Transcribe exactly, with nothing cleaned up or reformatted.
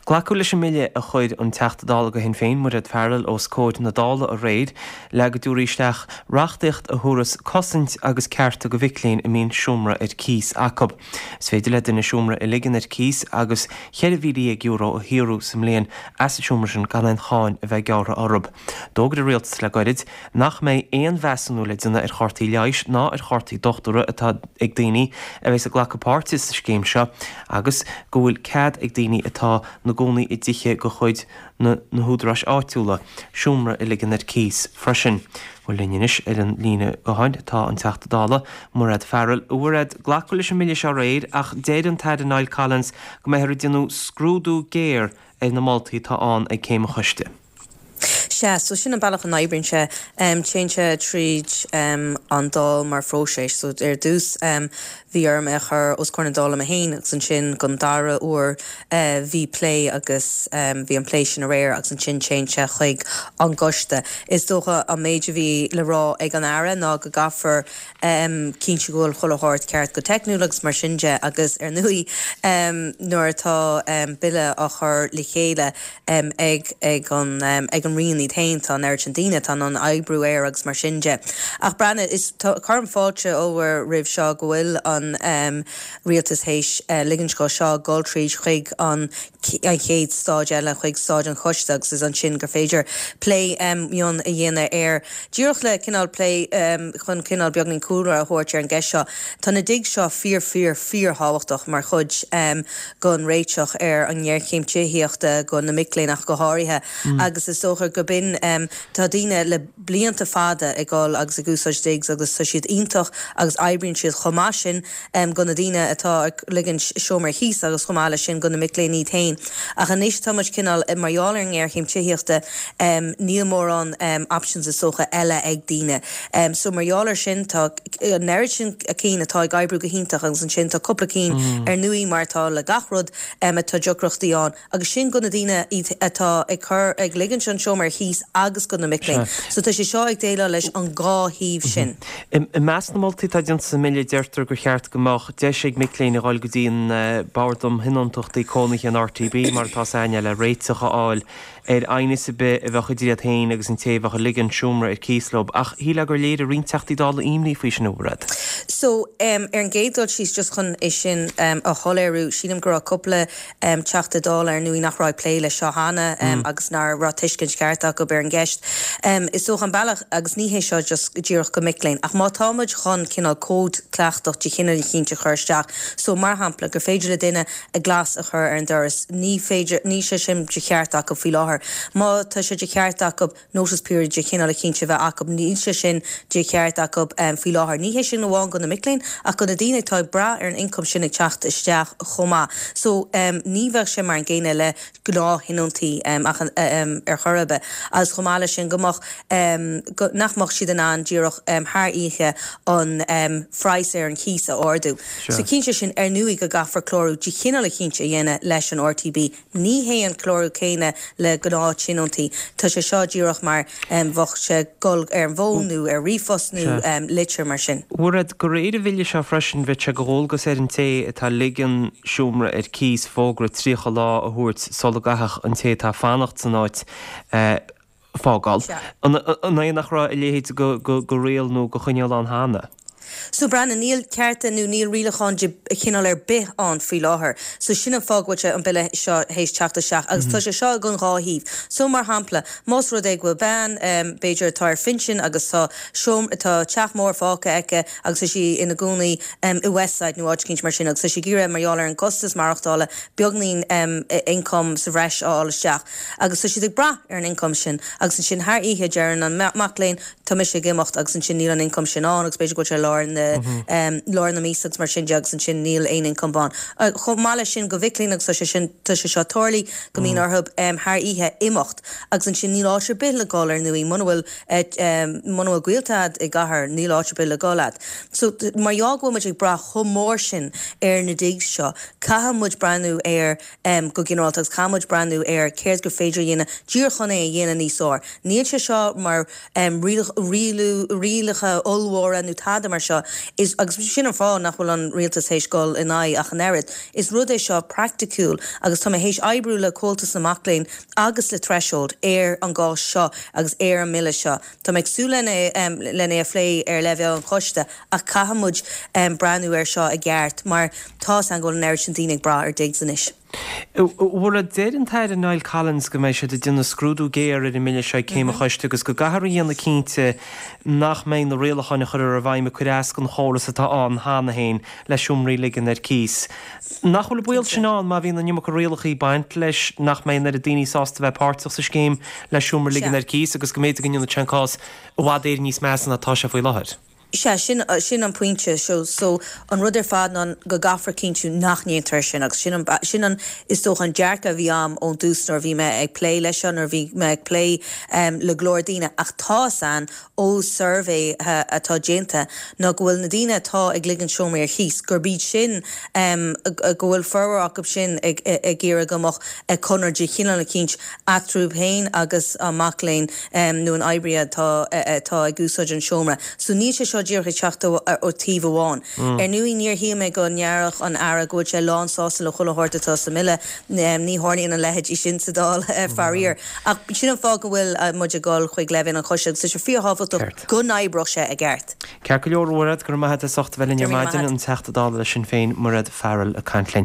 Glacadh leis an mbille a chuir an Teachta Dála do Shinn Féin Mairéad Farrell os comhair na Dála aréir le go dtabharfaí isteach reachtaíocht a thabharfas cosaint agus cearta do mhic léinn a mbíonn seomra ar cíos acu. Is féidir le duine seomra a ligean ar cíos agus ceithre mhíle dhéag euro a shaothrú sa mbliain as an seomra sin gan aon cháin a bheith gearrtha orthu. D'fhógair an rialtas le gairid nach mbeidh aon mheasúnú le déanamh ar chártaí leighis ná ar chártaí dochtúra atá ag daoine a bheas ag glacadh páirte sa scéim seo agus go bhfuil cead ag daoine atá ina gcónaí i dtithe de chuid na na húdaráis áitiúla, seomra a ligean ar cíos freisin. Bhuel linn anois ar an líne gutháin tá an Teachta Dála Mairéad Farrell. A Mhairéad, glacadh leis an mbille seo aréir ach deir an tAire Niall Collins go mbeifear ag déanamh scrúdú géar ar na moltaí atá ann ag céim an choiste. Sea, so sin an bealach a n-oibríonn sé. Téann sé tríd an Dáil mar phróiseas. So ar dtús bhí orm é a chur os comhair na Dála mé féin agus ansin don dara huair bhí plé agus bhí an plé sin aréir agus ansin téann sé chuig an gcoiste. Is dócha an méid a bhí le rá ag an Aire ná go gcaithfear cinntiú go bhfuil chuile shórt ceart go teicniúil agus mar sin de agus ar ndóigh nuair atá bille á chur le chéile ag ag an ag an Roinn iad féin tá an oiread sin daoine atá in ann oibriú air agus mar sin de. Ach Breandán, is cuirim fáilte ollmhór roimh seo go bhfuil an rialtas théis ligint dó seo dul tríd chuig an an chéad stáid eile chuig stáid an choiste agus is ansin gur féidir plé mion a dhéanamh air. Díreach le cineál plé chun cineál beagán cúlra a thabhairt ar an gceist seo, tá na digs seo fíor fíor fíorthábhachtach mar chuid den réiteach ar an ngéarchéim tithíochta do na mic léinn ach go háirithe agus is dócha go b'in tá daoine le blianta fada ag dul agus ag úsáid digs agus tá siad iontach agus oibríonn siad chomh maith sin do na daoine atá ag ligint seomra ar cíos agus chomh maith leis sin do na mic léinn iad féin. Ach anois tá muid cineál mar gheall ar an ngéarchéim tithíochta níl mórán options is dócha eile ag daoine. So mar gheall ar sin tá an oiread sin cinn atá ag oibriú go hiontach agus ansin tá cúpla cinn ar ndóigh mar atá le gach rud atá deacrachtaí ann agus sin do na daoine atá ag cur ag ligint an seomra ar cíos agus do na mic léinn. So tá sé seo ag déileáil leis an dhá thaobh sin. I measc na moltaí atá déanta sa mbille deirtear gur cheart go mbeadh deis ag mic léinn a dhul go dtí an Bord um Thionóntachtaí Cónaithe an RTB mar atá aithne le réiteach a fháil ar aighneas ar bith a bheadh idir iad féin agus an té a bheadh ag ligean seomra ar cíos leo ach shílfeá gur léirigh roinnt Teachtaí Dála imní faoi sin a Mhairéad. So um, ar an gcéad dul síos just chun é sin um, a shoiléiriú sílim go raibh cúpla um, Teachta Dála ar ndóigh nach raibh plé leis seo cheana um, mm. agus nach raibh tuiscint ceart acu ar an gceist. Um, is dócha an bealach agus ní hé seo just díreach do mhic léinn ach má táimid chun cineál cód cleachtais de chineál eicínt a chur isteach. So mar shampla gur féidir le duine a glas a chur ar an doras ní féidir ní sé sin de cheart acu faoi láthair. Má tá sé de cheart acu notice period de chineál eicínt a bheith acu níl sé sin de cheart acu um, faoi láthair. Ní hé sin amháin do na mic léinn ach do na daoine atá ag brath ar an income sin ag teacht isteach chomh maith. So um, ní bheadh sé mar an gcéanna le gnáth-thionóntaí um, ach um, ar chor ar bith. Agus chomh maith leis sin go mbeadh um, go, nach mbeadh siad in ann díreach um, thar oíche an um, praghas ar an chíos a ardú. So cinnte sin ar ndóigh go gcaithfear clárú de chineál eicínt a dhéanamh leis an RTB. Ní hé an clárú céanna le gnáth-thionóntaí. Tá sé seo díreach mar um, bheadh sé dul ar an bhfón nó ar ríomhphost nó um, litir mar sin. Mairéad de réir an bhille seo freisin bheadh sé de dhualgas ar an té atá ag ligean seomra ar cíos fógra tríocha lá a thabhairt sula gcaithfeadh an té atá fanacht san áit uh, fágáil. An é nach raibh a leithéid de riail nó de choinníoll ann cheana. So Breandán níl cearta nó níl rialachán de chineál ar bith ann faoi láthair. So sin an fáth go bhfuil an bille seo théis teacht isteach agus tá sé seo don dhá thaobh. So mar shampla, más rud é go bhfuil bean um, b'fhéidir atá ar phinsean agus tá seom atá teach mór fágtha aici agus tá sí ina cónaí um, i Westside nó áit eicínt mar sin agus tá sí ag iarraidh mar gheall ar an gcostas maireachtála beagáinín um, income sa bhreis a fháil isteach. Agus tá siad ag brath ar an income sin agus ansin thar oíche deireann an mac léinn tá mise ag imeacht agus ansin níl an income sin ann agus b'fhéidir go sé lár na um, lár na míosa agus mar sin de agus ansin níl aon income ann. Uh, Chomh maith leis sin do mhic léinn agus tá sé sin tá sé seo tarlaithe go mbíonn orthu um, thar oíche imeacht agus ansin níl áit ar bith le dul ar ndóigh muna bhfuil um, muna bhfuil gaolta agat i gcathair níl áit ar bith le dul agat. So mar gheall go bhfuil muid ag brath chomh mór sin ar na digs seo, caithfidh muid breathnú ar um, go ginearálta agus caithfidh muid breathnú ar céard gur féidir a dhéanamh díreach chun é a dhéanamh níos fearr. Níl sé seo mar um, rialú rialacha ollmhóra nó tada mar seo is agus sin an fáth nach bhfuil an rialtas théis dul in aghaidh ach an oiread. Is rud é seo praiticiúil agus tá mé théis oibriú le Comhaltas na Mac Léinn agus le Threshold ar an gcás seo agus ar an mbille seo. Tá mé ag súil lena lena a phlé ar leibhéal an choiste ach caithfidh muid um, breathnú ar seo i gceart mar tá an go an oiread sin daoine ag brath ar digs anois. Bhfuil deir an tAire Niall Collins go mbeidh siad ag déanamh scrúdú géar ar an mbille seo céim an choiste agus go gcaithfear a dhéanamh cinnte nach mbeidh na rialacháin a chur ar a bhfeidhm ag cur as don chóras atá ann cheana féin le seomraí a ligean ar cíos. Nach bhfuil baol sin ann má bhíonn an iomarca rialacha ag baint leis nach mbeidh an oiread daoine sásta bheith páirteach sa scéim le seomra a ligean ar cíos agus go mb'fhéidir go ndéanfaidh sé an cás i bhfad Éireann níos measa ná atá sé faoi láthair. Sea sin sin an pointe so so an rud ar fad ná go gcaithfear cinntiú nach ndéantar sin agus sin an sin an is dócha an dearcadh a bhí agam ón dtús nuair a bhí mé ag plé leis seo nuair a bhí mé ag plé um, le go leor daoine ach tá san ó suirbhé atá déanta ná go bhfuil na daoine atá ag ligean seomraí ar cíos gurb iad sin um, go bhfuil formhór acu sin ag ag iarraidh go mbeadh conradh de chineál eicínt eatarthu féin agus an mac léinn um, nó an oibrí atá atá ag úsáid an seomra. So níl sé seo díreach ag teacht ó taobh amháin. Mm. Ar ndóigh níor shíl mé go ndéarfadh an tAire go bhfuil sé lán sásta le chuile shórt atá sa mbille ní tharlaíonn an leithéid sin sa Dáil faraor. Ach sin an fáth go bhfuil muid ag dul chuig leibhéal an choiste agus sé fíorthábhachtach go n-oibreodh sé i gceart. Ceart go leor Mairéad go raibh maith agat as ucht a bheith linn ar maidin an Teachta Dála le Sinn Féin Mairéad Farrell ag caint linn.